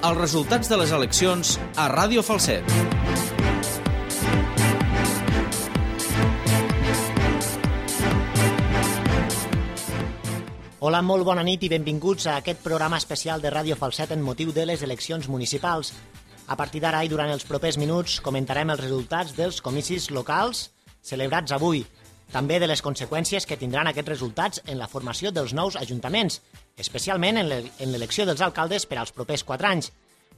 els resultats de les eleccions a Ràdio Falset. Hola, molt bona nit i benvinguts a aquest programa especial de Ràdio Falset en motiu de les eleccions municipals. A partir d'ara i durant els propers minuts comentarem els resultats dels comicis locals celebrats avui, també de les conseqüències que tindran aquests resultats en la formació dels nous ajuntaments, especialment en l'elecció dels alcaldes per als propers 4 anys.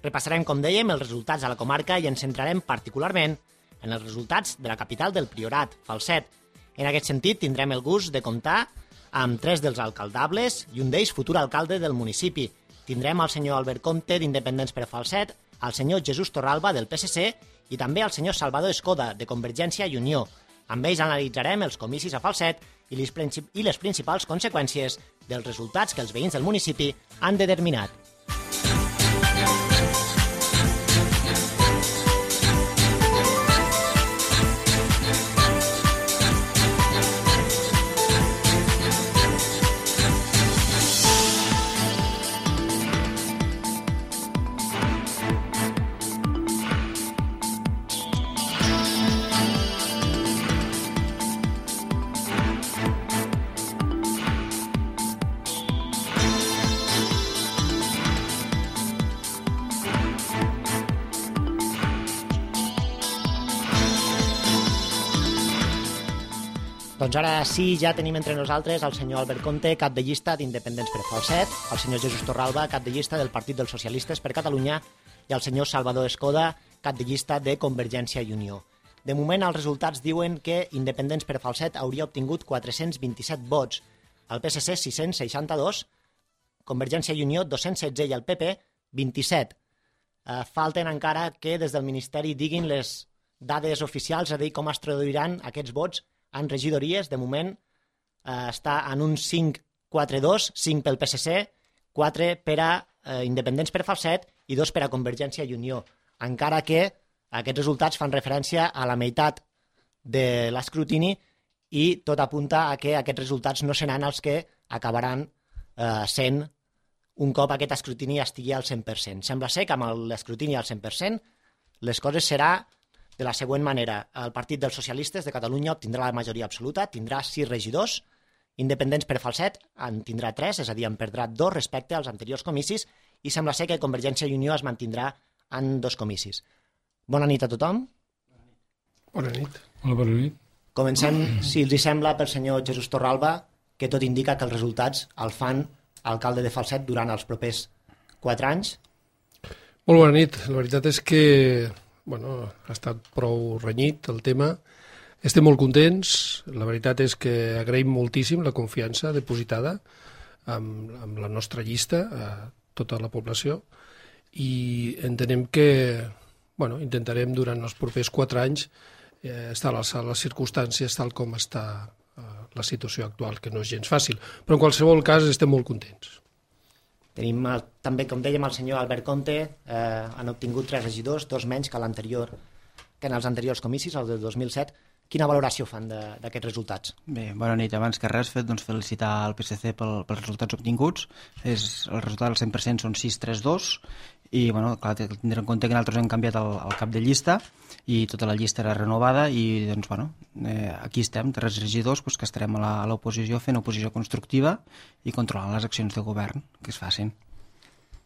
Repassarem, com dèiem, els resultats a la comarca i ens centrarem particularment en els resultats de la capital del Priorat, Falset. En aquest sentit, tindrem el gust de comptar amb 3 dels alcaldables i un d'ells futur alcalde del municipi. Tindrem el senyor Albert Comte d'Independents per Falset, el senyor Jesús Torralba del PSC i també el senyor Salvador Escoda de Convergència i Unió. Amb ells analitzarem els comicis a Falset i les principals conseqüències dels resultats que els veïns del municipi han determinat. Doncs ara sí, ja tenim entre nosaltres el senyor Albert Comte, cap de llista d'Independents per Falset, el senyor Jesús Torralba, cap de llista del Partit dels Socialistes per Catalunya, i el senyor Salvador Escoda, cap de llista de Convergència i Unió. De moment, els resultats diuen que Independents per Falset hauria obtingut 427 vots, el PSC 662, Convergència i Unió 216 i el PP 27. Falten encara que des del Ministeri diguin les dades oficials, és a dir, com es traduiran aquests vots en regidories. De moment està en un 5-4-2, 5 pel PSC, 4 per a Independents per Falset i 2 per a Convergència i Unió, encara que aquests resultats fan referència a la meitat de l'escrutini i tot apunta a que aquests resultats no seran els que acabaran sent un cop aquest escrutini estigui al 100%. Sembla ser que amb l'escrutini al 100% les coses serà de la següent manera. El Partit dels Socialistes de Catalunya obtindrà la majoria absoluta, tindrà 6 regidors, Independents per Falset en tindrà 3, és a dir, en perdrà 2 respecte als anteriors comicis, i sembla ser que Convergència i Unió es mantindrà en 2 comicis. Bona nit a tothom. Bona nit. Hola, bona nit. Comencem, si els sembla, pel senyor Jesús Torralba, que tot indica que els resultats el fan alcalde de Falset durant els propers 4 anys. Molt bona nit. La veritat és que ha estat prou renyit el tema. Estem molt contents. La veritat és que agraïm moltíssim la confiança depositada amb la nostra llista a tota la població i entenem que intentarem durant els propers 4 anys estar a l'alçada de les circumstàncies tal com està la situació actual, que no és gens fàcil. Però en qualsevol cas estem molt contents. Tenim també, com dèiem, el senyor Albert Comte, han obtingut 3 regidors, 2 menys que en els anteriors comicis, el del 2007. Quina valoració fan d'aquests resultats? Bé, bona nit. Abans que res, felicitar el PSC pels resultats obtinguts. El resultat del 100% són 6-3-2 i, clar, tindre en compte que nosaltres hem canviat el cap de llista i tota la llista era renovada i, aquí estem, 3 regidors que estarem a l'oposició fent oposició constructiva i controlant les accions de govern que es facin.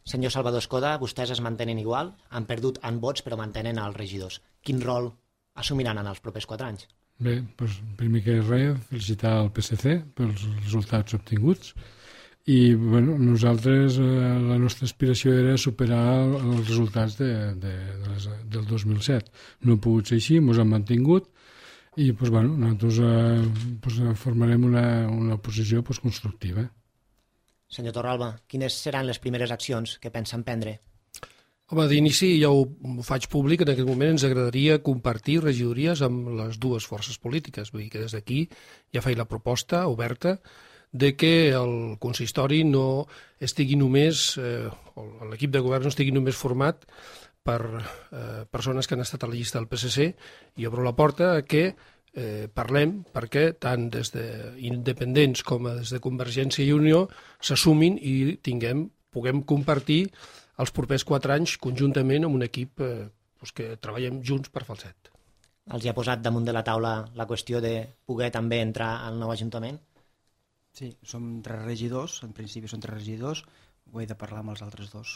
Senyor Salvador Escoda, vostès es mantenen igual, han perdut en vots però mantenen els regidors. Quin rol assumiran en els propers 4 anys? Bé, primer que res, felicitar el PSC pels resultats obtinguts i nosaltres la nostra aspiració era superar els resultats del 2007. No ha pogut ser així, ens han mantingut i nosaltres formarem una posició constructiva. Senyor Torralba, quines seran les primeres accions que pensen prendre? Home, d'inici ja ho faig públic, en aquest moment ens agradaria compartir regidories amb les 2 forces polítiques, vull dir que des d'aquí ja faig la proposta oberta de que el consistori no estigui només, o l'equip de govern no estigui només format per persones que han estat a la llista del PSC, i obro la porta a que parlem perquè tant des d'independents com des de Convergència i Unió s'assumin i puguem compartir els propers 4 anys conjuntament amb un equip que treballem junts per Falset. Els hi ha posat damunt de la taula la qüestió de poder també entrar al nou Ajuntament? Sí, som 3 regidors, en principi són 3 regidors, ho he de parlar amb els altres 2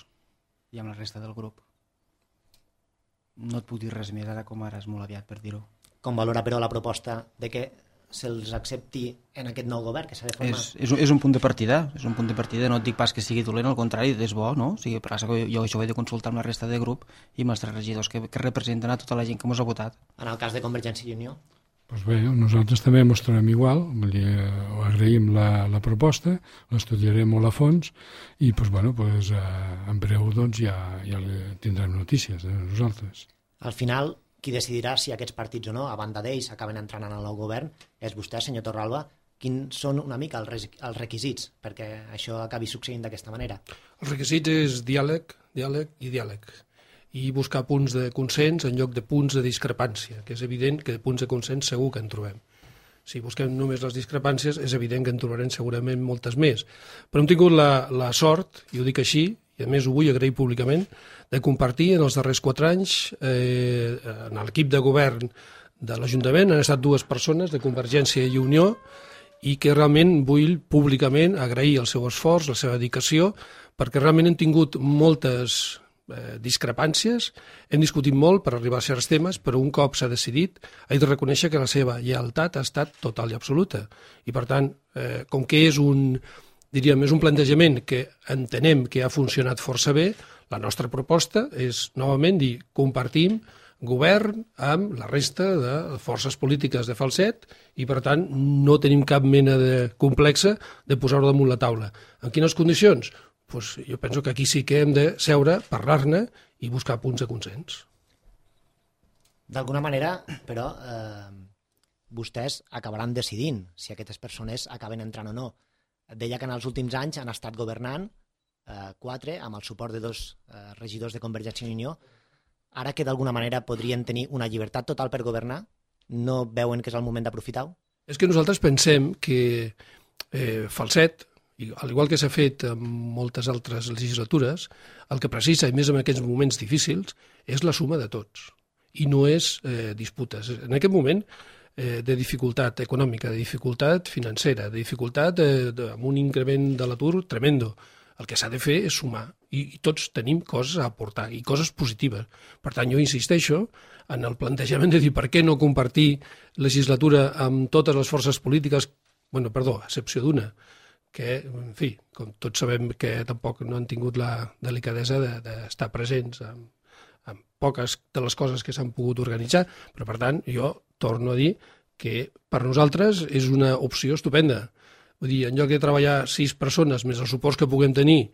i amb la resta del grup. No et puc dir res més ara com ara, és molt aviat per dir-ho. Com valora, però, la proposta de que se'ls accepti en aquest nou govern que s'ha de formar? És un punt de partida, no et dic pas que sigui dolent, al contrari, és bo, no? O sigui, per això jo això ho he de consultar amb la resta de grup i amb els 3 regidors que representen a tota la gent que ens ha votat. En el cas de Convergència i Unió? Doncs bé, nosaltres també ens trobem igual, agraïm la proposta, l'estudiarem molt a fons i en breu ja tindrem notícies de nosaltres. Al final, qui decidirà si aquests partits o no, a banda d'ells, acaben entrant en el nou govern, és vostè, senyor Torralba. Quins són una mica els requisits perquè això acabi succeint d'aquesta manera? Els requisits és diàleg i buscar punts de consens en lloc de punts de discrepància, que és evident que de punts de consens segur que en trobem. Si busquem només les discrepàncies, és evident que en trobarem segurament moltes més. Però hem tingut la sort, i ho dic així, i a més ho vull agrair públicament, de compartir en els darrers 4 anys en l'equip de govern de l'Ajuntament han estat 2 persones de Convergència i Unió i que realment vull públicament agrair el seu esforç, la seva dedicació, perquè realment hem tingut moltes discrepàncies, hem discutit molt per arribar a certs temes, però un cop s'ha decidit, he de reconèixer que la seva lleialtat ha estat total i absoluta. I per tant, com que és un plantejament que entenem que ha funcionat força bé, la nostra proposta és, novament, dir compartim govern amb la resta de forces polítiques de Falset i, per tant, no tenim cap mena de complexa de posar-ho damunt la taula. En quines condicions? Pues jo penso que aquí sí que hem de seure, parlar-ne i buscar punts de consens. D'alguna manera, però, vostès acabaran decidint si aquestes persones acaben entrant o no. Deia que en els últims anys han estat governant 4 amb el suport de 2 regidors de Convergència i Unió. Ara que d'alguna manera podrien tenir una llibertat total per governar, no veuen que és el moment d'aprofitar-ho? És que nosaltres pensem que Falset, al igual que s'ha fet en moltes altres legislatures, el que precisa, i més en aquests moments difícils, és la suma de tots, i no és disputes. En aquest moment de dificultat econòmica, de dificultat financera, de dificultat amb un increment de l'atur tremendo, el que s'ha de fer és sumar, i tots tenim coses a aportar, i coses positives. Per tant, jo insisteixo en el plantejament de dir per què no compartir legislatura amb totes les forces polítiques, a excepció d'una, que, en fi, com tots sabem que tampoc no han tingut la delicadesa d'estar presents en poques de les coses que s'han pogut organitzar, però per tant jo torno a dir que per nosaltres és una opció estupenda. Vull dir, en lloc de treballar 6 persones més els suports que puguem tenir,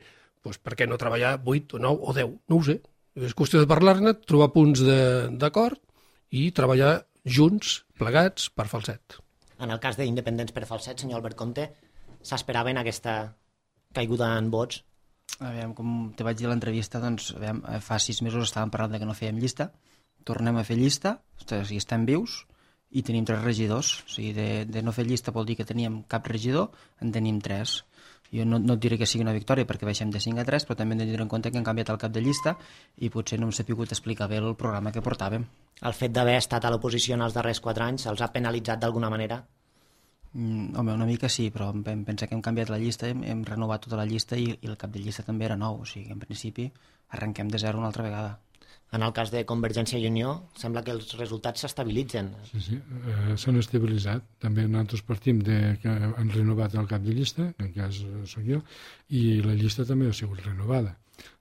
doncs per què no treballar 8 o 9 o 10? No ho sé. És qüestió de parlar-ne, trobar punts d'acord i treballar junts, plegats, per Falset. En el cas d'Independents per Falset, senyor Albert Comte, s'esperaven aquesta caiguda en vots? Aviam, com te vaig dir a l'entrevista, doncs, fa 6 mesos estàvem parlant que no fèiem llista, tornem a fer llista, o sigui, estem vius i tenim 3 regidors, o sigui, de no fer llista vol dir que teníem cap regidor, en tenim 3. Jo no et diré que sigui una victòria perquè baixem de 5 a 3, però també hem de tenir en compte que hem canviat el cap de llista i potser no hem sabut explicar bé el programa que portàvem. El fet d'haver estat a l'oposició en els darrers 4 anys els ha penalitzat d'alguna manera? Home, una mica sí, però vam pensar que hem canviat la llista, hem renovat tota la llista i el cap de llista també era nou, o sigui que en principi arrenquem de zero una altra vegada. En el cas de Convergència i Unió, sembla que els resultats s'estabilitzen. Sí, s'han estabilitzat. També nosaltres partim que han renovat el cap de llista, en el cas soc jo, i la llista també ha sigut renovada.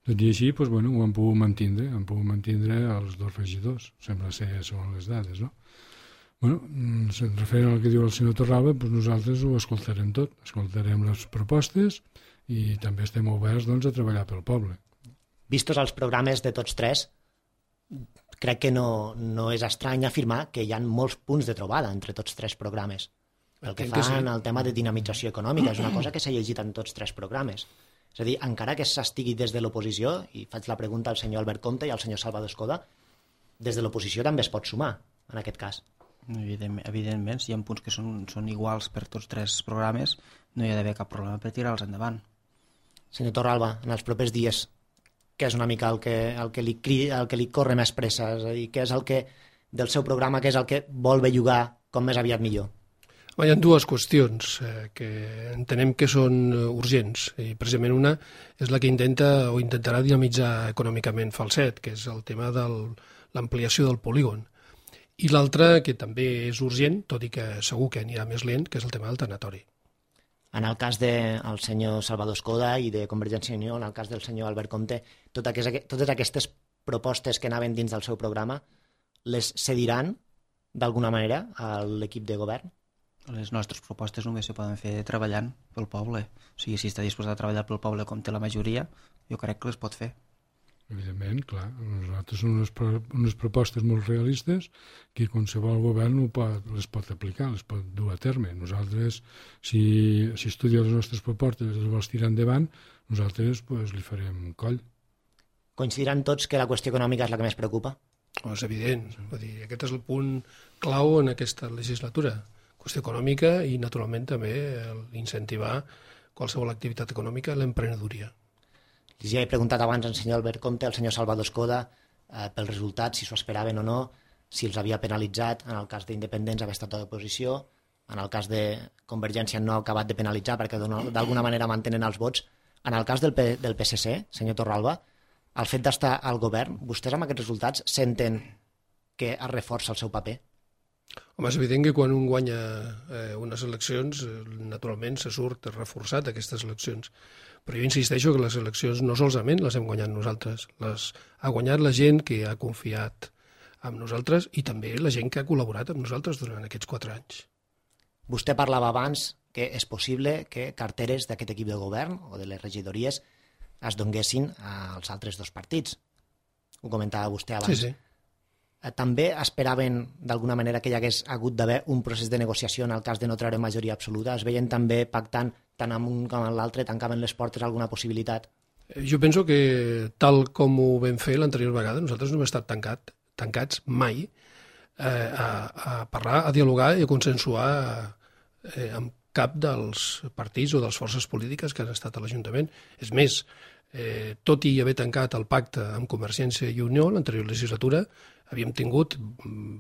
Tot i així, ho han pogut mantindre els 2 regidors, sembla ser són les dades, no? Referent al que diu el senyor Torralba, nosaltres ho escoltarem tot, escoltarem les propostes i també estem oberts a treballar pel poble. Vistos els programes de tots 3, crec que no és estrany afirmar que hi ha molts punts de trobada entre tots 3 programes. El que fan el tema de dinamització econòmica és una cosa que s'ha llegit en tots 3 programes. És a dir, encara que s'estigui des de l'oposició, i faig la pregunta al senyor Albert Comte i al senyor Salvador Escoda, des de l'oposició també es pot sumar, en aquest cas. Evidentment, si hi ha punts que són iguals per tots 3 programes, no hi ha d'haver cap problema per tirar-los endavant. Senyor Torralba, en els propers dies, què és una mica el que li corre més pressa, és a dir, què és el que del seu programa, què és el que vol bellugar com més aviat millor? Hi ha dues qüestions que entenem que són urgents, i precisament una és la que intenta o intentarà dinamitzar econòmicament Falset, que és el tema de l'ampliació del polígon. I l'altra, que també és urgent, tot i que segur que anirà més lent, que és el tema del tanatori. En el cas del senyor Salvador Escoda i de Convergència i Unió, en el cas del senyor Albert Comte, totes aquestes propostes que anaven dins del seu programa, les cediran d'alguna manera a l'equip de govern? Les nostres propostes només se poden fer treballant pel poble. O sigui, si està disposat a treballar pel poble com té la majoria, jo crec que les pot fer. Evidentment, clar. Nosaltres són unes propostes molt realistes que qualsevol govern les pot aplicar, les pot dur a terme. Nosaltres, si estudia les nostres propostes i les vols tirar endavant, nosaltres li farem coll. Coincidiran tots que la qüestió econòmica és la que més preocupa? És evident. Vull dir, aquest és el punt clau en aquesta legislatura. Qüestió econòmica i, naturalment, també incentivar qualsevol activitat econòmica, l'emprenedoria. Ja he preguntat abans al senyor Albert Comte, al senyor Salvador Escoda, pels resultats, si s'ho esperaven o no, si els havia penalitzat, en el cas d'independents haver estat a l'oposició, en el cas de Convergència no ha acabat de penalitzar perquè d'alguna manera mantenen els vots. En el cas del PSC, senyor Torralba, el fet d'estar al govern, vostès amb aquests resultats senten que es reforça el seu paper? Home, és evident que quan un guanya unes eleccions, naturalment se surt reforçat d'aquestes eleccions. Però jo insisteixo que les eleccions no solament les hem guanyat nosaltres, les ha guanyat la gent que ha confiat en nosaltres i també la gent que ha col·laborat amb nosaltres durant aquests 4 anys. Vostè parlava abans que és possible que carteres d'aquest equip de govern o de les regidories es donguessin als altres dos partits. Ho comentava vostè abans. Sí, sí. També esperaven d'alguna manera que hi hagués hagut d'haver un procés de negociació en el cas de no treure majoria absoluta? Es veien també pactant tant amb un com amb l'altre, tancaven les portes a alguna possibilitat? Jo penso que tal com ho vam fer l'anterior vegada, nosaltres no hem estat tancats mai a parlar, a dialogar i a consensuar amb cap dels partits o de les forces polítiques que han estat a l'Ajuntament. És més, tot i haver tancat el pacte amb Convergència i Unió l'anterior legislatura, havíem tingut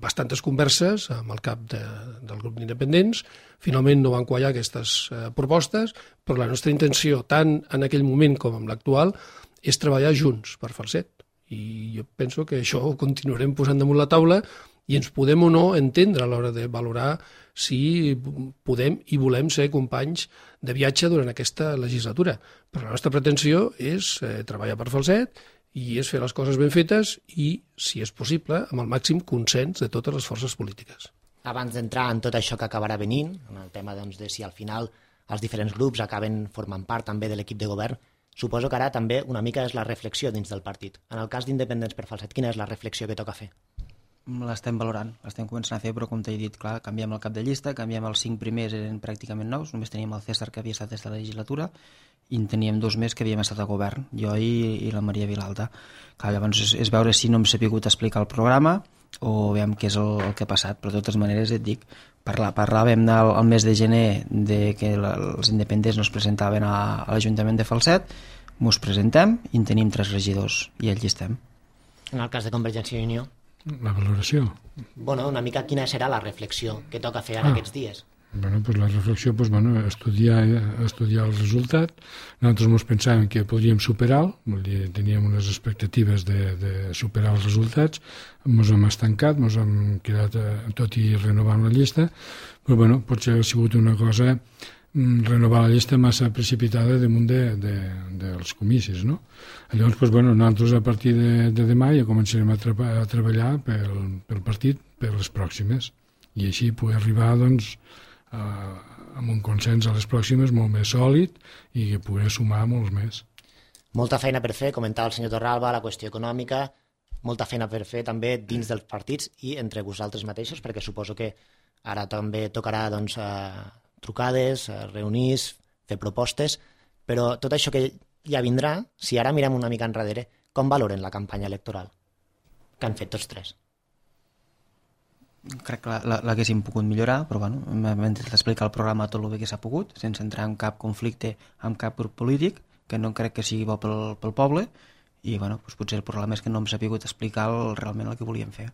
bastantes converses amb el cap del grup d'independents, finalment no van quallar aquestes propostes, però la nostra intenció, tant en aquell moment com en l'actual, és treballar junts per Falset. I jo penso que això ho continuarem posant damunt la taula i ens podem o no entendre a l'hora de valorar si podem i volem ser companys de viatge durant aquesta legislatura. Però la nostra pretensió és treballar per Falset i és fer les coses ben fetes i, si és possible, amb el màxim consens de totes les forces polítiques. Abans d'entrar en tot això que acabarà venint, en el tema de si al final els diferents grups acaben formant part també de l'equip de govern, suposo que ara també una mica és la reflexió dins del partit. En el cas d'Independents per Falset, quina és la reflexió que toca fer? L'estem valorant, l'estem començant a fer, però com t'he dit, clar, canviem el cap de llista, canviem els 5 primers, eren pràcticament nous, només teníem el César que havia estat des de la legislatura i en teníem 2 més que havíem estat a govern, jo i la Maria Vilalta. Clar, llavors és veure si no hem sabut explicar el programa o veiem què és el que ha passat, però de totes maneres et dic, parlàvem el mes de gener de que els independents no es presentaven a l'Ajuntament de Falset, mos presentem i en tenim 3 regidors i allí estem. En el cas de Convergència i Unió? La valoració. Bueno, una mica quina serà la reflexió que toca fer ara aquests dies? Bueno, pues la reflexió, pues, bueno, estudiar el resultat. Nosaltres ens pensàvem que podríem superar-lo, teníem unes expectatives de superar els resultats, ens hem estancat, ens hem quedat tot i renovant la llista, però bueno, potser ha sigut una cosa renovar la llista massa precipitada damunt dels comicis, no? Llavors, pues, bueno, nosaltres a partir de demà ja començarem a treballar pel partit per les pròximes i així poder arribar, doncs, amb un consens a les pròximes molt més sòlid i que poder sumar molts més. Molta feina per fer, comentava el senyor Torralba, la qüestió econòmica, molta feina per fer també dins dels partits i entre vosaltres mateixos, perquè suposo que ara també tocarà, doncs, trucades, reunir, fer propostes, però tot això que ja vindrà, si ara mirem una mica enrere, com valoren la campanya electoral que han fet tots 3? Crec que l'haguéssim pogut millorar, però bueno, hem intentat explicar el programa tot el bé que s'ha pogut, sense entrar en cap conflicte amb cap grup polític, que no crec que sigui bo pel poble, i bueno, doncs potser el problema és que no hem sabut explicar realment el que volíem fer.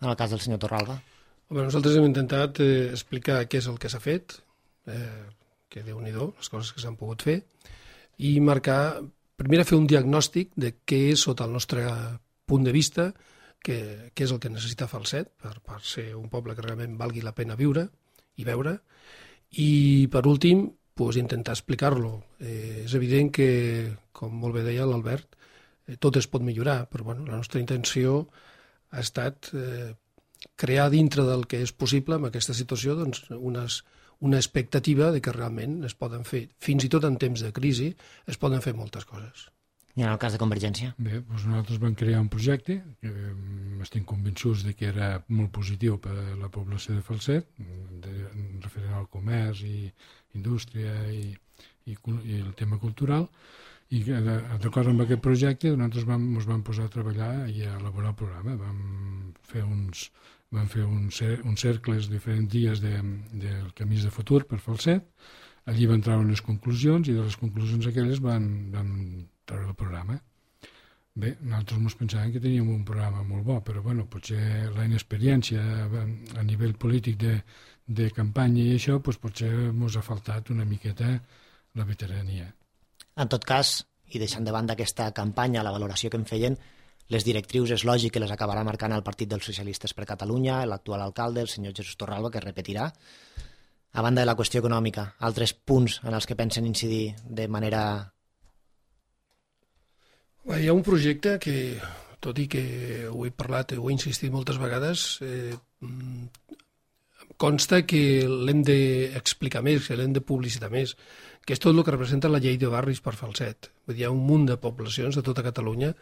En el cas del senyor Torralba? Nosaltres hem intentat explicar què és el que s'ha fet, que Déu-n'hi-do, les coses que s'han pogut fer, i marcar, primer fer un diagnòstic de què és, sota el nostre punt de vista, què és el que necessita Falset per ser un poble que realment valgui la pena viure i veure, i per últim intentar explicar-lo. És evident que, com molt bé deia l'Albert, tot es pot millorar, però la nostra intenció ha estat crear dintre del que és possible en aquesta situació una expectativa de que realment es poden fer, fins i tot en temps de crisi, es poden fer moltes coses. I en el cas de Convergència? Bé, doncs nosaltres vam crear un projecte que estem convençuts de que era molt positiu per a la població de Falset, referent al comerç i indústria i el tema cultural, i d'acord amb aquest projecte nosaltres ens vam posar a treballar i a elaborar el programa. Vam fer uns cercles diferents dies del camins de futur per Falset, allí van treure unes conclusions i de les conclusions aquelles van treure el programa. Bé, nosaltres ens pensàvem que teníem un programa molt bo, però potser la inexperiència a nivell polític de campanya i això, potser ens ha faltat una miqueta la veterania. En tot cas, i deixant de banda aquesta campanya, la valoració que en feien, les directrius és lògic que les acabarà marcant el Partit dels Socialistes per Catalunya, l'actual alcalde, el senyor Jesús Torralba, que repetirà. A banda de la qüestió econòmica, altres punts en els que pensen incidir de manera... Hi ha un projecte que, tot i que ho he parlat, ho he insistit moltes vegades, consta que l'hem d'explicar més, que l'hem de publicitar més, que és tot el que representa la llei de barris per Falset. Vull dir, hi ha un munt de poblacions de tota Catalunya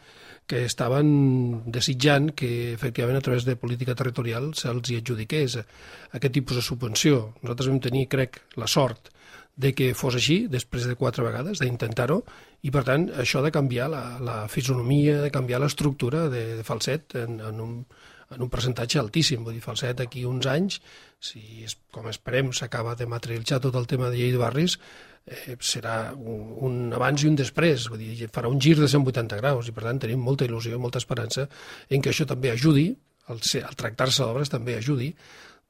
que estaven desitjant que, efectivament, a través de política territorial se'ls hi adjudiqués aquest tipus de subvenció. Nosaltres vam tenir, crec, la sort de que fos així, després de 4 vegades, d'intentar-ho, i per tant això de canviar la fisonomia, de canviar l'estructura de Falset en un percentatge altíssim. Vull dir, Falset d'aquí uns anys, si com esperem s'acaba de materialitzar tot el tema de llei de barris, serà un abans i un després, vull dir, farà un gir de 180 graus, i per tant tenim molta il·lusió, molta esperança en que això també ajudi, al tractar-se d'obres també ajudi,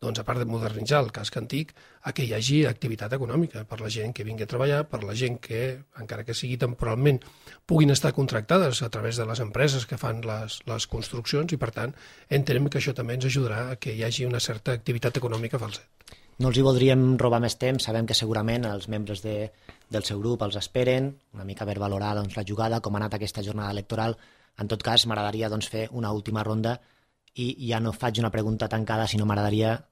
doncs, a part de modernitzar el casc antic, a que hi hagi activitat econòmica per la gent que vingui a treballar, per la gent que, encara que sigui temporalment, puguin estar contractades a través de les empreses que fan les construccions, i per tant entenem que això també ens ajudarà a que hi hagi una certa activitat econòmica a Falset. No els hi voldríem robar més temps, sabem que segurament els membres del seu grup els esperen, una mica per valorar la jugada, com ha anat aquesta jornada electoral. En tot cas, m'agradaria fer una última ronda i ja no faig una pregunta tancada, sinó m'agradaria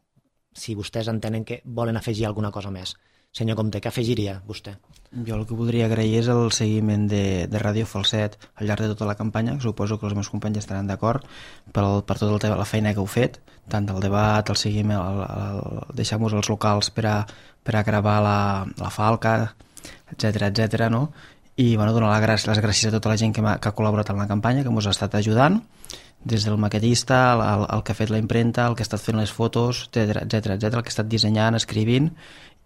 si vostès entenen que volen afegir alguna cosa més. Senyor Comte, què afegiria vostè? Jo el que voldria agrair és el seguiment de Ràdio Falset al llarg de tota la campanya, que suposo que els meus companys estaran d'acord, per tota la feina que heu fet, tant del debat, el seguiment, deixar-nos els locals per a gravar la falca, etc, no? I donar les gràcies a tota la gent que ha col·laborat en la campanya, que ens ha estat ajudant, des del maquetista, el que ha fet la impremta, el que ha estat fent les fotos, etc, el que ha estat dissenyant, escrivint,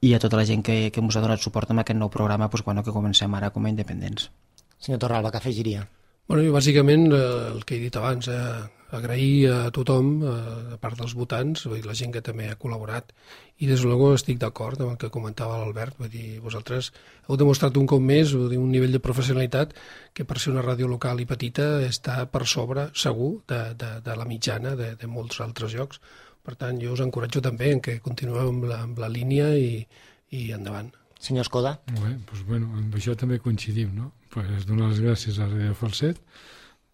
i a tota la gent que ens ha donat suport amb aquest nou programa que comencem ara com a independents. Senyor Torralba, què afegiria? Jo bàsicament el que he dit abans, agrair a tothom, a part dels votants, la gent que també ha col·laborat, i des de luego estic d'acord amb el que comentava l'Albert, vull dir, vosaltres heu demostrat un cop més un nivell de professionalitat que per ser una ràdio local i petita està per sobre, segur, de la mitjana de molts altres llocs. Per tant, jo us encoratjo també en que continueu amb la línia i endavant. Senyor Escoda? Molt bé, amb això també coincidim, no? Donar les gràcies a Ràdio Falset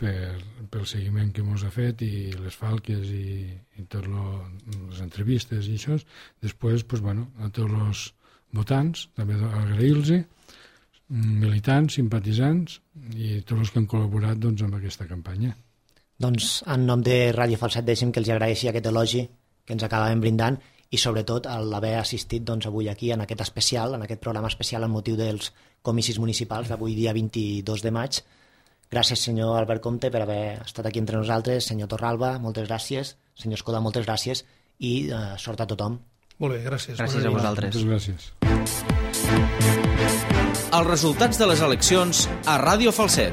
pel seguiment que ens ha fet i les falques i totes les entrevistes i això. Després, a tots els votants, també agrair-los, militants, simpatitzants i tots els que han col·laborat amb aquesta campanya. Doncs, en nom de Ràdio Falset, deixem que els agraeixi aquest elogi que ens acabem brindant i sobretot l'haver assistit avui aquí en aquest programa especial amb motiu dels comicis municipals d'avui dia 22 de maig. Gràcies, senyor Albert Comte, per haver estat aquí entre nosaltres. Senyor Torralba, moltes gràcies. Senyor Escoda, moltes gràcies i sort a tothom. Molt bé, gràcies. Gràcies a vosaltres. Moltes gràcies. Els resultats de les eleccions a Ràdio Falset.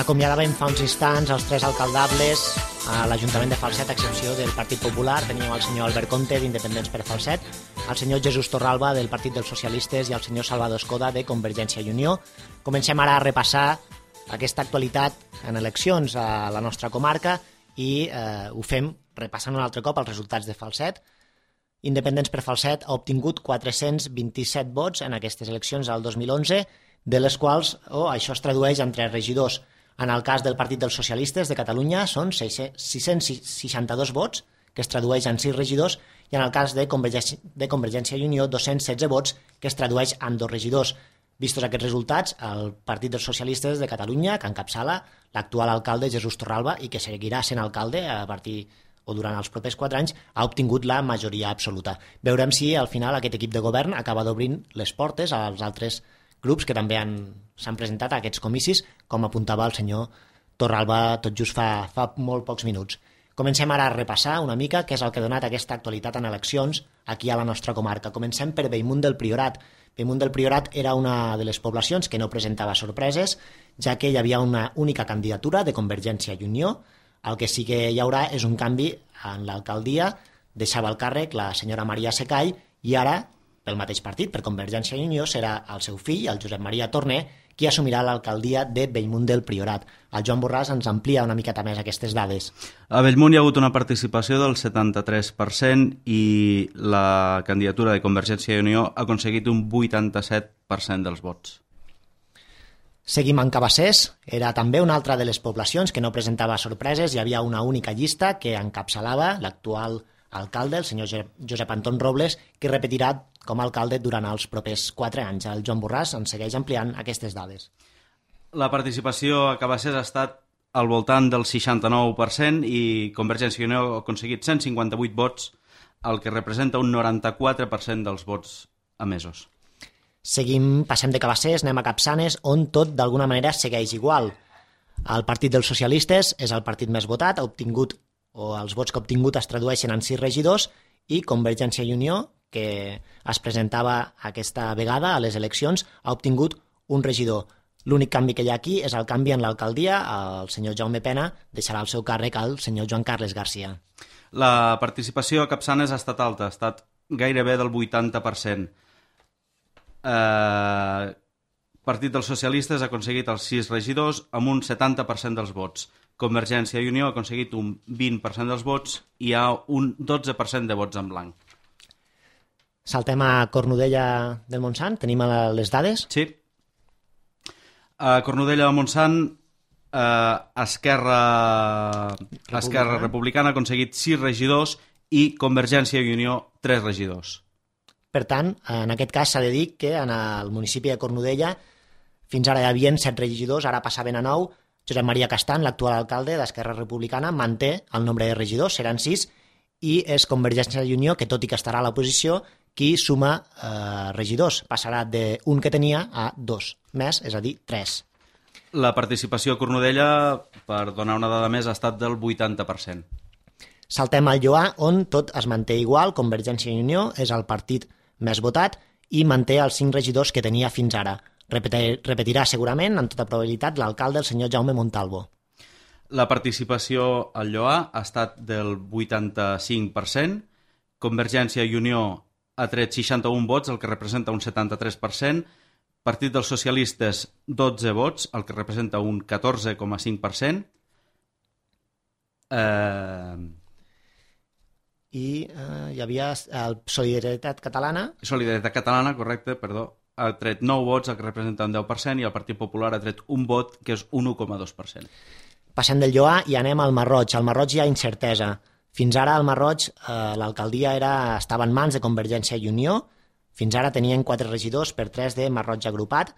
Acomiadàvem fa uns instants els 3 alcaldables a l'Ajuntament de Falset, a excepció del Partit Popular. Teníem el senyor Albert Conte, d'Independents per Falset, el senyor Jesús Torralba, del Partit dels Socialistes, i el senyor Salvador Escoda, de Convergència i Unió. Comencem ara a repassar aquesta actualitat en eleccions a la nostra comarca i ho fem repassant un altre cop els resultats de Falset. Independents per Falset ha obtingut 427 vots en aquestes eleccions del 2011, de les quals això es tradueix en 3 regidors. En el cas del Partit dels Socialistes de Catalunya són 662 vots, que es tradueix en 6 regidors, i en el cas de Convergència i Unió 216 vots, que es tradueix en 2 regidors. Vistos aquests resultats, el Partit dels Socialistes de Catalunya, que encapçala l'actual alcalde Jesús Torralba i que seguirà sent alcalde a partir o durant els propers 4 anys, ha obtingut la majoria absoluta. Veurem si al final aquest equip de govern acaba d'obrir les portes als altres grups que també s'han presentat a aquests comicis, com apuntava el senyor Torralba tot just fa molt pocs minuts. Comencem ara a repassar una mica què és el que ha donat aquesta actualitat en eleccions aquí a la nostra comarca. Comencem per Bellmunt del Priorat. Bellmunt del Priorat era una de les poblacions que no presentava sorpreses, ja que hi havia una única candidatura de Convergència i Unió. El que sí que hi haurà és un canvi en l'alcaldia. Deixava el càrrec la senyora Maria Secall i ara, pel mateix partit, per Convergència i Unió, serà el seu fill, el Josep Maria Torner, qui assumirà l'alcaldia de Bellmunt del Priorat. El Joan Borràs ens amplia una miqueta més aquestes dades. A Bellmunt hi ha hagut una participació del 73% i la candidatura de Convergència i Unió ha aconseguit un 87% dels vots. Seguim en Cabassers. Era també una altra de les poblacions que no presentava sorpreses. Hi havia una única llista que encapçalava l'actual alcalde, el senyor Josep Anton Robles, que repetirà com a alcalde durant els propers 4 anys. El Joan Borràs ens segueix ampliant aquestes dades. La participació a Cabassers ha estat al voltant del 69% i Convergència i Unió ha aconseguit 158 vots, el que representa un 94% dels vots emesos. Passem de Cabassers, anem a Capçanes, on tot d'alguna manera segueix igual. El Partit dels Socialistes és el partit més votat, els vots que ha obtingut es tradueixen en 6 regidors, i Convergència i Unió, que es presentava aquesta vegada a les eleccions, ha obtingut un regidor. L'únic canvi que hi ha aquí és el canvi en l'alcaldia. El senyor Jaume Pena deixarà el seu càrrec al senyor Joan Carles Garcia. La participació a Capçanes ha estat alta, ha estat gairebé del 80%. Partit dels Socialistes ha aconseguit els 6 regidors amb un 70% dels vots. Convergència i Unió ha aconseguit un 20% dels vots i hi ha un 12% de vots en blanc. Saltem a Cornudella del Montsant. Tenim les dades? Sí. A Cornudella del Montsant, Esquerra Republicana ha aconseguit 6 regidors i Convergència i Unió 3 regidors. Per tant, en aquest cas s'ha de dir que en el municipi de Cornudella fins ara hi havia 7 regidors, ara passaven a 9. Josep Maria Castan, l'actual alcalde d'Esquerra Republicana, manté el nombre de regidors, seran 6, i és Convergència i Unió, que tot i que estarà a l'oposició, qui suma regidors. Passarà d'un que tenia a 2 més, és a dir, 3. La participació a Cornudella, per donar una dada més, ha estat del 80%. Saltem al Lloar, on tot es manté igual. Convergència i Unió és el partit més votat i manté els 5 regidors que tenia fins ara. Repetirà segurament, en tota probabilitat, l'alcalde, el senyor Jaume Montalvo. La participació al Lloar ha estat del 85%. Convergència i Unió ha tret 61 vots, el que representa un 73%. Partit dels Socialistes, 12 vots, el que representa un 14,5%. I hi havia el Solidaritat Catalana. Solidaritat Catalana, correcte, perdó. Ha tret 9 vots, el que representa un 10%, i el Partit Popular ha tret un vot, que és un 1,2%. Passem del Lloar i anem al Masroig. Al Masroig hi ha incertesa. Fins ara al Masroig l'alcaldia estava en mans de Convergència i Unió. Fins ara tenien 4 regidors per 3 de Masroig agrupat.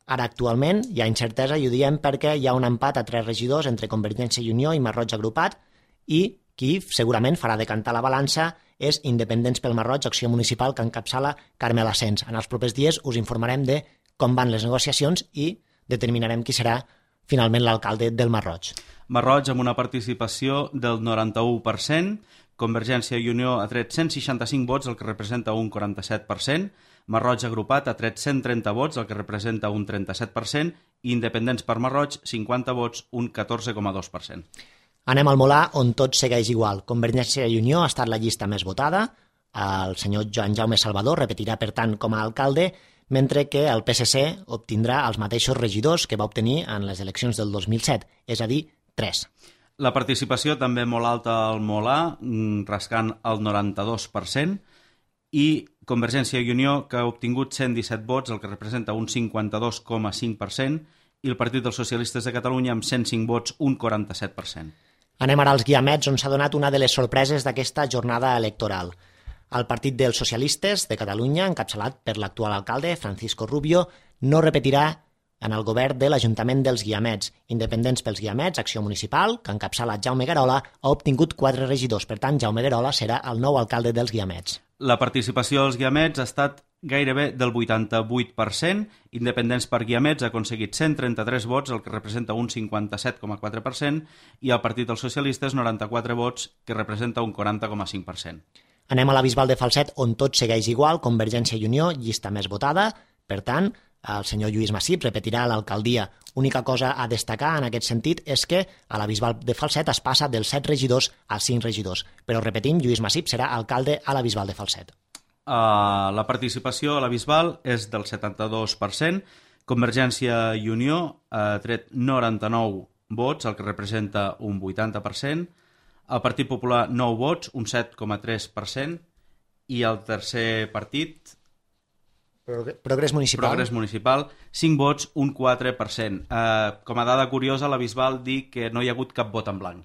Ara actualment hi ha incertesa i ho diem perquè hi ha un empat a 3 regidors entre Convergència i Unió i Masroig agrupat, i qui segurament farà decantar la balança és Independents pel Masroig, acció municipal que encapçala Carmel Asens. En els propers dies us informarem de com van les negociacions i determinarem qui serà finalment l'alcalde del Masroig. Masroig amb una participació del 91%, Convergència i Unió ha tret 165 vots, el que representa un 47%, Masroig agrupat ha tret 130 vots, el que representa un 37%, i Independents per Masroig, 50 vots, un 14,2%. Anem al Molà, on tot segueix igual. Convergència i Unió ha estat la llista més votada, el senyor Joan Jaume Salvador repetirà, per tant, com a alcalde, mentre que el PSC obtindrà els mateixos regidors que va obtenir en les eleccions del 2007, és a dir, 3. La participació també molt alta al Molà, rascant el 92%, i Convergència i Unió, que ha obtingut 117 vots, el que representa un 52,5%, i el Partit dels Socialistes de Catalunya amb 105 vots, un 47%. Anem ara als Guiamets, on s'ha donat una de les sorpreses d'aquesta jornada electoral. El Partit dels Socialistes de Catalunya, encapçalat per l'actual alcalde, Francisco Rubio, no repetirà en el govern de l'Ajuntament dels Guiamets. Independents pels Guiamets, Acció Municipal, que encapçala Jaume Guerola, ha obtingut 4 regidors. Per tant, Jaume Guerola serà el nou alcalde dels Guiamets. La participació dels Guiamets ha estat gairebé del 88%, Independents per Guiamets ha aconseguit 133 vots, el que representa un 57,4%, i el Partit dels Socialistes 94 vots, que representa un 40,5%. Anem a la Bisbal de Falset, on tot segueix igual, Convergència i Unió, llista més votada, per tant, el senyor Lluís Massip repetirà l'alcaldia. Única cosa a destacar en aquest sentit és que a la Bisbal de Falset es passa dels 7 regidors a 5 regidors, però repetim, Lluís Massip serà alcalde a la Bisbal de Falset. La participació a la Bisbal és del 72%, Convergència i Unió ha tret 99 vots, el que representa un 80%, el Partit Popular 9 vots, un 7,3%, i el tercer partit, Progrés Municipal, 5 vots, un 4%. Com a dada curiosa, la Bisbal diu que no hi ha hagut cap vot en blanc.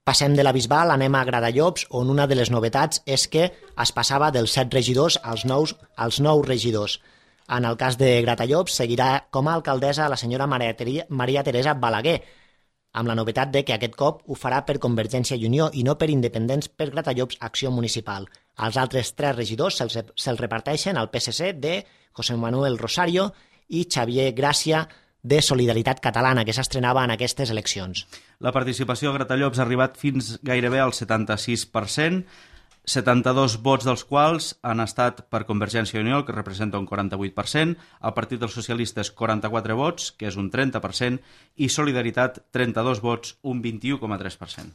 Passem de la Bisbal, anem a Gratallops, on una de les novetats és que es passava dels 7 regidors als 9 regidors. En el cas de Gratallops, seguirà com a alcaldessa la senyora Maria Teresa Balaguer, amb la novetat de que aquest cop ho farà per Convergència i Unió i no per Independents per Gratallops Acció Municipal. Els altres 3 regidors se'ls reparteixen al PSC de José Manuel Rosario i Xavier Gràcia de Solidaritat Catalana, que s'estrenava en aquestes eleccions. La participació a Gratallops ha arribat fins gairebé al 76%, 72 vots dels quals han estat per Convergència i Unió, que representa un 48%, el Partit dels Socialistes 44 vots, que és un 30%, i Solidaritat 32 vots, un 21,3%.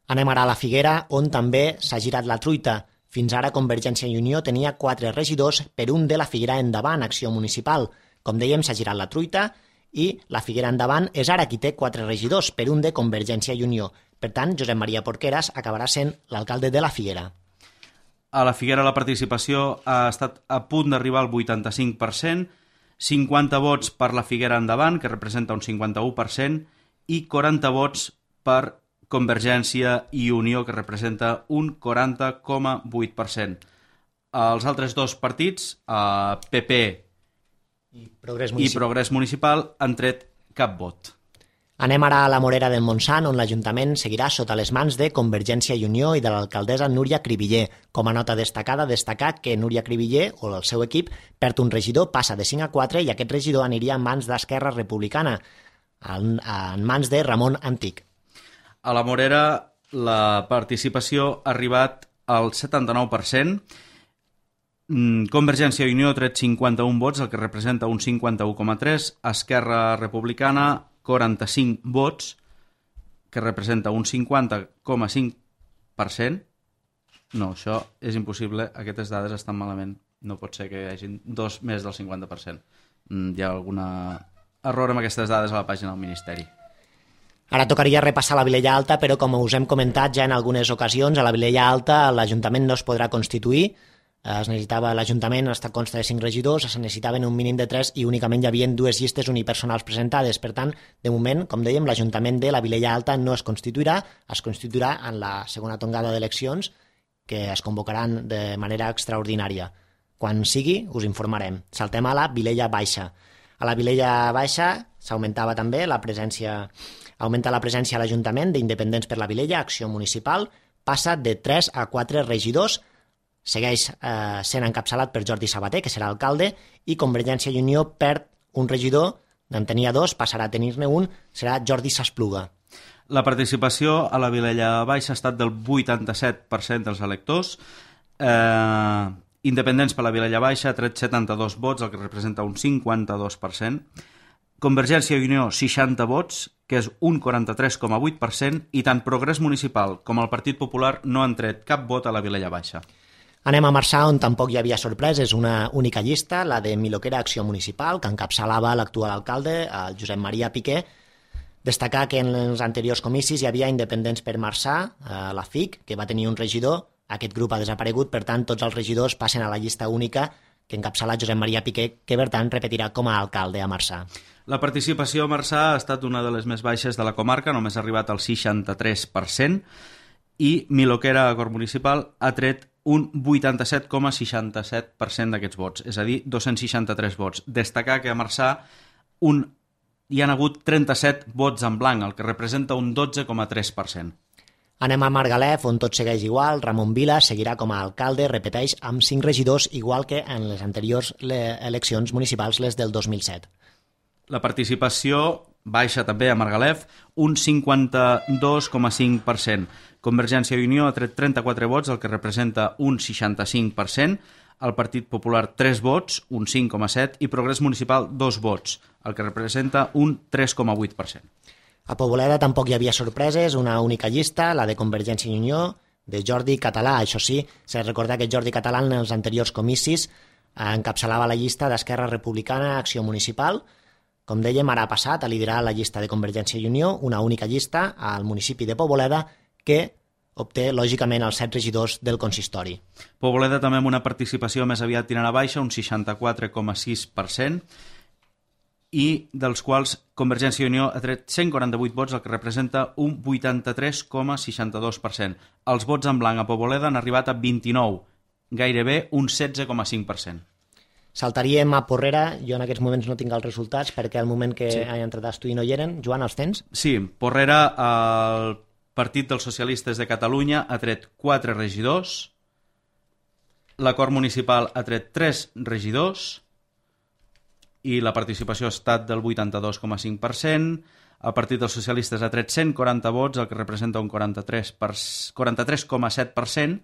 Anem ara a la Figuera, on també s'ha girat la truita. Fins ara Convergència i Unió tenia 4 regidors per un de la Figuera Endavant, Acció Municipal. Com dèiem, s'ha girat la truita i la Figuera Endavant és ara qui té 4 regidors per un de Convergència i Unió. Per tant, Josep Maria Porqueras acabarà sent l'alcalde de la Figuera. A la Figuera la participació ha estat a punt d'arribar al 85%, 50 vots per la Figuera Endavant, que representa un 51%, i 40 vots per Convergència i Unió, que representa un 40,8%. Els altres 2 partits, PP i Progrés Municipal, han tret cap vot. Anem ara a la Morera del Montsant, on l'Ajuntament seguirà sota les mans de Convergència i Unió i de l'alcaldessa Núria Cribiller. Com a nota destacada, destacar que Núria Cribiller, o el seu equip, perd un regidor, passa de 5 a 4 i aquest regidor aniria en mans d'Esquerra Republicana, en mans de Ramon Antic. A la Morera la participació ha arribat al 79%, Convergència i Unió ha tret 51 vots, el que representa un 51,3%, Esquerra Republicana 45 vots, que representa un 50,5%. No, això és impossible, aquestes dades estan malament. No pot ser que hi hagi més del 50%. Hi ha algun error amb aquestes dades a la pàgina del Ministeri. Ara tocaria repassar la Vilella Alta, però com us hem comentat ja en algunes ocasions, a la Vilella Alta l'Ajuntament no es podrà constituir. L'Ajuntament consta de 5 regidors, es necessitaven un mínim de 3 i únicament hi havia 2 llistes unipersonals presentades. Per tant, de moment, com dèiem, l'Ajuntament de la Vilella Alta no es constituirà en la segona tongada d'eleccions que es convocaran de manera extraordinària. Quan sigui, us informarem. Saltem a la Vilella Baixa. A la Vilella Baixa s'augmentava també augmenta la presència a l'Ajuntament d'Independents per la Vilella, Acció Municipal, passa de 3 a 4 regidors, segueix sent encapçalat per Jordi Sabater, que serà alcalde, i Convergència i Unió perd un regidor en tenia 2, passarà a tenir-ne un, serà Jordi Saspluga. La participació a la Vilella Baixa ha estat del 87% dels electors. Independents per la Vilella Baixa ha tret 72 vots, el que representa un 52%. Convergència i Unió, 60 vots, que és un 43,8%, i tant Progrés Municipal com el Partit Popular no han tret cap vot a la Vilella Baixa. Anem a Marçà, on tampoc hi havia sorpreses, una única llista, la de Miloquera Acció Municipal, que encapçalava l'actual alcalde, el Josep Maria Piqué. Destacar que en els anteriors comicis hi havia Independents per Marçà, la FIC, que va tenir un regidor. Aquest grup ha desaparegut, per tant, tots els regidors passen a la llista única que encapçala Josep Maria Piqué, que per tant repetirà com a alcalde a Marçà. La participació a Marçà ha estat una de les més baixes de la comarca, només ha arribat al 63%, i Miloquera Acord Municipal ha tret un 87,67% d'aquests vots, és a dir, 263 vots. Destacar que a Marçà hi han hagut 37 vots en blanc, el que representa un 12,3%. Anem a Margalef, on tot segueix igual. Ramon Vila seguirà com a alcalde, repeteix, amb 5 regidors, igual que en les anteriors eleccions municipals, les del 2007. La participació baixa també a Margalef, un 52,5%. Convergència i Unió ha tret 34 vots, el que representa un 65%. El Partit Popular 3 vots, un 5,7%, i Progrés Municipal 2 vots, el que representa un 3,8%. A Poboleda tampoc hi havia sorpreses, una única llista, la de Convergència i Unió, de Jordi Català. Això sí, s'ha de recordar que Jordi Català en els anteriors comicis encapçalava la llista d'Esquerra Republicana Acció Municipal. Com dèiem, ara ha passat a liderar la llista de Convergència i Unió, una única llista al municipi de Poboleda, que obté, lògicament, els 7 regidors del consistori. Poboleda també amb una participació més aviat tirant a baixa, un 64,6%, i dels quals Convergència i Unió ha tret 148 vots, el que representa un 83,62%. Els vots en blanc a Poboleda han arribat a 29, gairebé un 16,5%. Saltaríem a Porrera. Jo en aquests moments no tinc els resultats perquè al moment que he entrat a estudi no hi eren. Joan, els tens? Sí, Porrera, el Partit dels Socialistes de Catalunya ha tret 4 regidors, l'Acord Municipal ha tret 3 regidors, i la participació ha estat del 82,5%. El Partit dels Socialistes ha tret 140 vots, el que representa un 43,7%.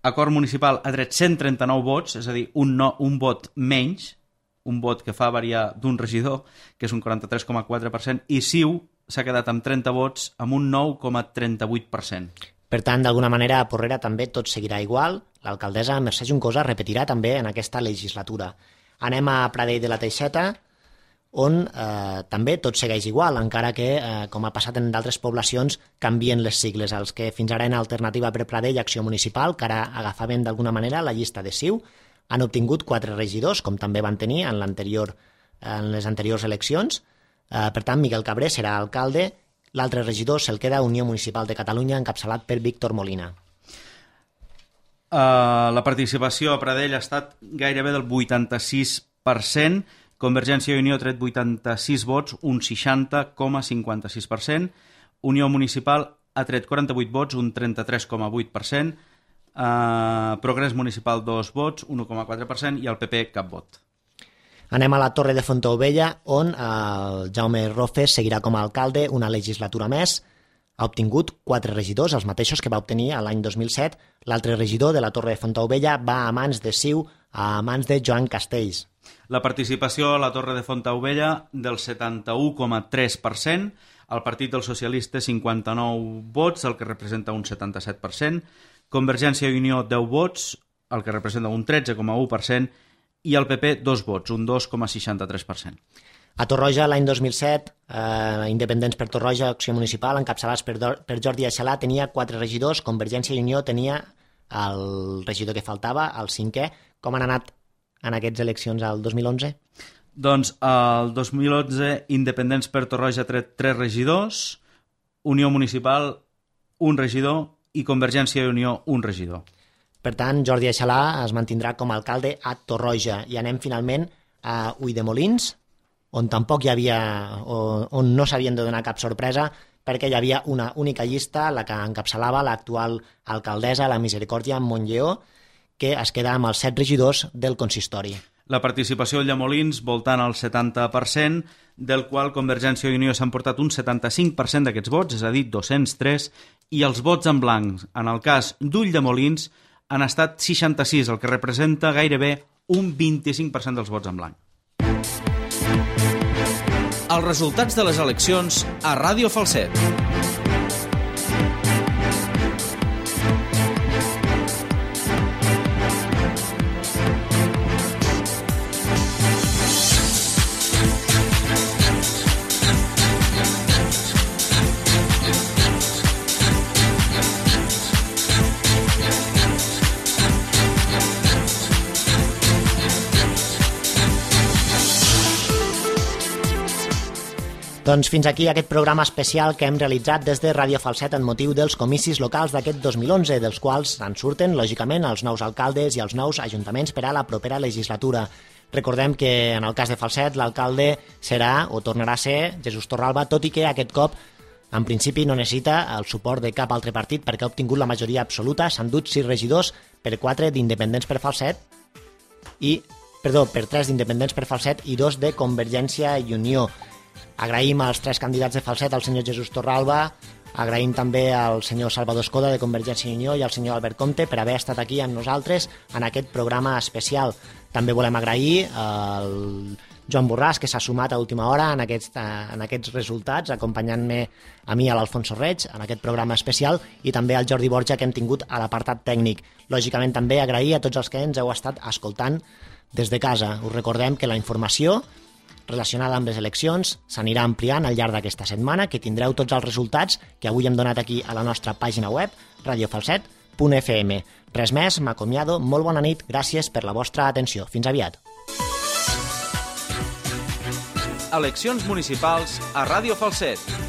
Acord Municipal ha tret 139 vots, és a dir, un vot menys, un vot que fa variar d'un regidor, que és un 43,4%, i CiU s'ha quedat amb 30 vots, amb un 9,38%. Per tant, d'alguna manera, a Porrera també tot seguirà igual. L'alcaldessa Mercè Juncosa repetirà també en aquesta legislatura. Anem a Pradell de la Teixeta, on també tot segueix igual, encara que, com ha passat en d'altres poblacions, canvien les sigles. Els que fins ara en Alternativa per Pradell, Acció Municipal, que ara agafaven d'alguna manera la llista de CiU, han obtingut 4 regidors, com també van tenir en les anteriors eleccions. Per tant, Miquel Cabré serà alcalde, l'altre regidor se'l queda Unió Municipal de Catalunya, encapçalat per Víctor Molina. La participació a Pradell ha estat gairebé del 86%, Convergència i Unió ha tret 86 vots, un 60,56%, Unió Municipal ha tret 48 vots, un 33,8%, Progrés Municipal 2 vots, 1,4%, i el PP cap vot. Anem a la Torre de Fontaubella, on el Jaume Rofes seguirà com a alcalde una legislatura més. Ha obtingut 4 regidors, els mateixos que va obtenir l'any 2007. L'altre regidor de la Torre de Fontaubella va a mans de CiU, a mans de Joan Castells. La participació a la Torre de Fontaubella del 71,3%, el Partit dels Socialistes 59 vots, el que representa un 77%, Convergència i Unió 10 vots, el que representa un 13,1%, i el PP 2 vots, un 2,63%. A Torroja, l'any 2007, Independents per Torroja, Acció Municipal, encapçalats per Jordi Aixalà, tenia 4 regidors, Convergència i Unió tenia el regidor que faltava, el 5è. Com han anat en aquestes eleccions al 2011? Doncs el 2011 Independents per Torroja ha tret 3 regidors, Unió Municipal 1 regidor i Convergència i Unió 1 regidor. Per tant, Jordi Aixalà es mantindrà com a alcalde a Torroja. I anem finalment a Ulldemolins, on tampoc hi havia, on no s'havien de donar cap sorpresa, perquè hi havia una única llista, la que encapçalava l'actual alcaldessa, la Misericòrdia Montlleó, que es queda amb els 7 regidors del consistori. La participació de Llamolins voltant al 70%, del qual Convergència i Unió s'han portat un 75% d'aquests vots, és a dir, 203, i els vots en blanc, en el cas d'Ulldemolins, han estat 66, el que representa gairebé un 25% dels vots en blanc. Els resultats de les eleccions a Ràdio Falset. Doncs fins aquí aquest programa especial que hem realitzat des de Ràdio Falset en motiu dels comicis locals d'aquest 2011, dels quals en surten, lògicament, els nous alcaldes i els nous ajuntaments per a la propera legislatura. Recordem que en el cas de Falset l'alcalde serà o tornarà a ser Jesús Torralba, tot i que aquest cop en principi no necessita el suport de cap altre partit perquè ha obtingut la majoria absoluta, s'han dut 6 regidors per 4 d'independents per Falset per 3 d'independents per Falset i 2 de Convergència i Unió. Agraïm als 3 candidats de Falset, al senyor Jesús Torralba, agraïm també al senyor Salvador Escoda de Convergència i Unió i al senyor Albert Comte per haver estat aquí amb nosaltres en aquest programa especial. També volem agrair al Joan Borràs, que s'ha sumat a última hora en aquests resultats, acompanyant-me a mi, a l'Alfonso Reig, en aquest programa especial, i també al Jordi Borja, que hem tingut a l'apartat tècnic. Lògicament també agrair a tots els que ens heu estat escoltant des de casa. Us recordem que la informació relacionada amb les eleccions s'anirà ampliant al llarg d'aquesta setmana, que tindreu tots els resultats que avui hem donat aquí a la nostra pàgina web, radiofalset.fm. Res més, m'acomiado, molt bona nit, gràcies per la vostra atenció. Fins aviat. Eleccions municipals a Ràdio Falset.